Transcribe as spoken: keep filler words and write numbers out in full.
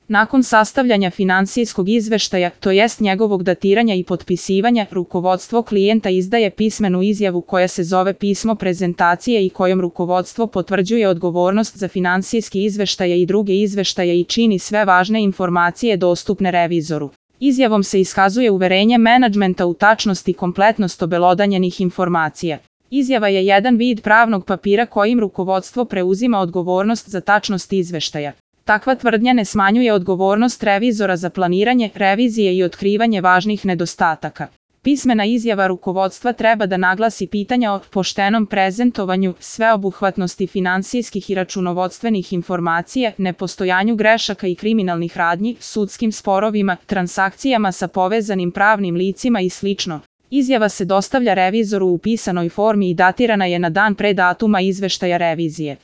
Nakon sastavljanja finansijskog izveštaja, to jest njegovog datiranja i potpisivanja, rukovodstvo klijenta izdaje pismenu izjavu koja se zove pismo prezentacije i kojom rukovodstvo potvrđuje odgovornost za finansijski izveštaje i druge izveštaje i čini sve važne informacije dostupne revizoru. Izjavom se iskazuje uverenje menadžmenta u tačnost i kompletnost obelodanjenih informacija. Izjava je jedan vid pravnog papira kojim rukovodstvo preuzima odgovornost za tačnost izveštaja. Takva tvrdnja ne smanjuje odgovornost revizora za planiranje, revizije i otkrivanje važnih nedostataka. Pismena izjava rukovodstva treba da naglasi pitanja o poštenom prezentovanju, sveobuhvatnosti finansijskih i računovodstvenih informacija, nepostojanju grešaka i kriminalnih radnji, sudskim sporovima, transakcijama sa povezanim pravnim licima i slično. Izjava se dostavlja revizoru u pisanoj formi i datirana je na dan pre datuma izveštaja revizije.